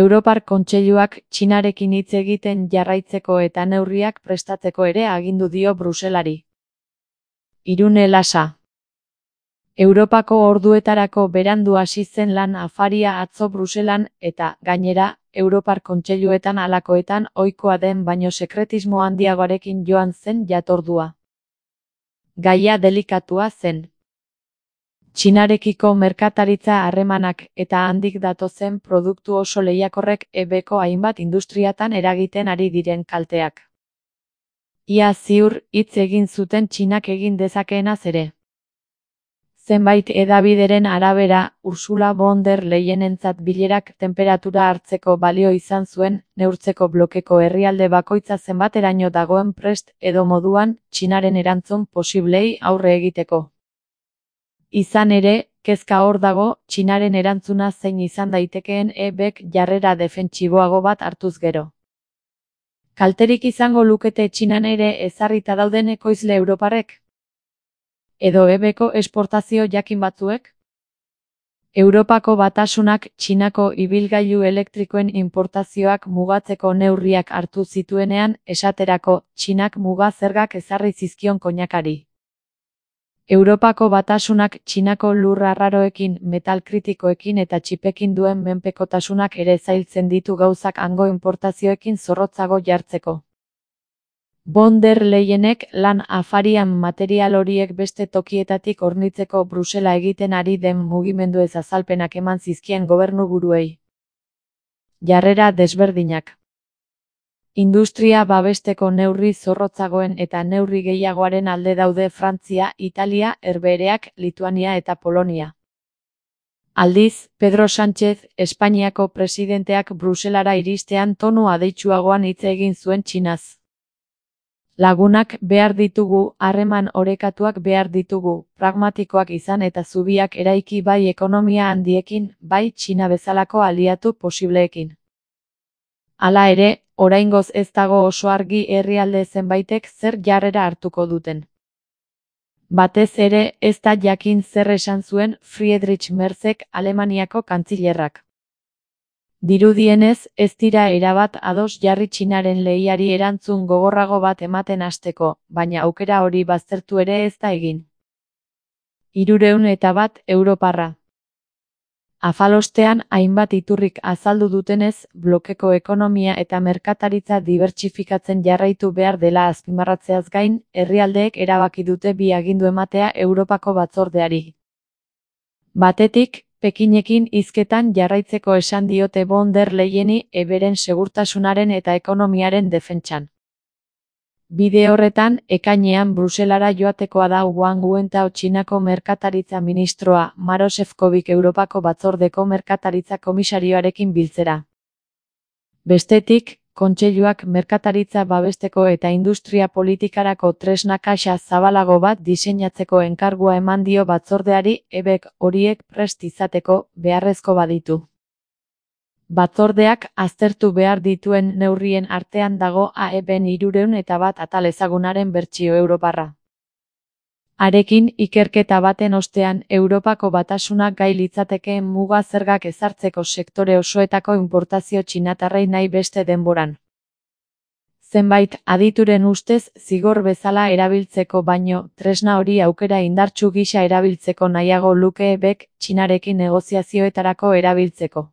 Europar Kontseiluak Txinarekin hitz egiten jarraitzeko eta neurriak prestatzeko ere agindu dio Bruselari. Irune Lasa. Europako orduetarako berandu hasi zen lan afaria atzo Bruselan eta, gainera, Europar Kontseiluetan halakoetan ohikoa den baino sekretismo handiagoarekin joan zen jatordua. Gaia delikatua zen. Txinarekiko merkataritza harremanak eta handik datozen produktu oso lehiakorrek ebeko hainbat industriatan eragiten ari diren kalteak. Ia ziur hitz egin zuten Txinak egin dezakeenaz ere. Zenbait hedabideren arabera, Ursula von der Leyenentzat bilerak tenperatura hartzeko balio izan zuen, neurtzeko blokeko herrialde bakoitza zenbateraino dagoen prest edo moduan Txinaren erantzun posiblei aurre egiteko. Izan ere, kezka hor dago, Txinaren erantzuna zein izan daitekeen ebek jarrera defentsiboago bat hartuz gero. Kalterik izango lukete Txinan ere ezarrita dauden ekoizle europarrek? Edo ebeko esportazio jakin batzuek? Europako Batasunak Txinako ibilgailu elektrikoen inportazioak mugatzeko neurriak hartu zituenean, esaterako, Txinak muga zergak ezarri zizkion koinakari. Europako Batasunak Txinako lur arraroekin, metal kritikoekin eta txipekin duen menpekotasunak ere zailtzen ditu gauzak hango inportazioekin zorrotzago jartzeko. Von der Leyenek lan afarian material horiek beste tokietatik hornitzeko Brusela egiten ari den mugimenduez azalpenak eman zizkien gobernuburuei. Jarrera desberdinak. Industria babesteko neurri zorrotzagoen eta neurri gehiagoaren alde daude Frantzia, Italia, Herbehereak, Lituania eta Polonia. Aldiz, Pedro Sánchez, Espainiako presidenteak Bruselara iristean tonu adeitsuagoan hitz egin zuen Txinaz. Lagunak behar ditugu, harreman orekatuak behar ditugu, pragmatikoak izan eta zubiak eraiki bai ekonomia handiekin, bai Txina bezalako aliatu posibleekin. Hala ere, oraingoz ez dago oso argi herrialde zenbaitek zer jarrera hartuko duten. Batez ere, ez da jakin zer esan zuen Friedrich Merzek Alemaniako kantzilerrak. Dirudienez, ez dira erabat ados jarri Txinaren lehiari erantzun gogorrago bat ematen hasteko, baina aukera hori baztertu ere ez da egin. 301 europarra. Afalostean, hainbat iturrik azaldu dutenez, blokeko ekonomia eta merkataritza dibertsifikatzen jarraitu behar dela azpimarratzeaz gain, herrialdeek erabaki dute bi agindu ematea Europako batzordeari. Batetik, Pekinekin hizketan jarraitzeko esan diote von der Leyeni eberen segurtasunaren eta ekonomiaren defentsan. Bide horretan, ekainean Bruselara joatekoa da Wang Wentao Txinako merkataritza ministroa, Maro Šefčovič Europako batzordeko merkataritza komisarioarekin biltzera. Bestetik, Kontseiluak merkataritza babesteko eta industria politikarako tresna kaxa zabalago bat diseinatzeko enkargua eman dio batzordeari, ebek horiek prest izateko beharrezko baditu. Batzordeak aztertu behar dituen neurrien artean dago AEBen 301 atal ezagunaren bertsio europarra. Harekin, ikerketa baten ostean, Europako Batasunak gai litzatekeen muga zergak ezartzeko sektore osoetako inportazio txinatarrei nahi beste denboran. Zenbait adituren ustez zigor bezala erabiltzeko baino, tresna hori aukera indartsu gisa erabiltzeko nahiago luke ebek Txinarekin negoziazioetarako erabiltzeko.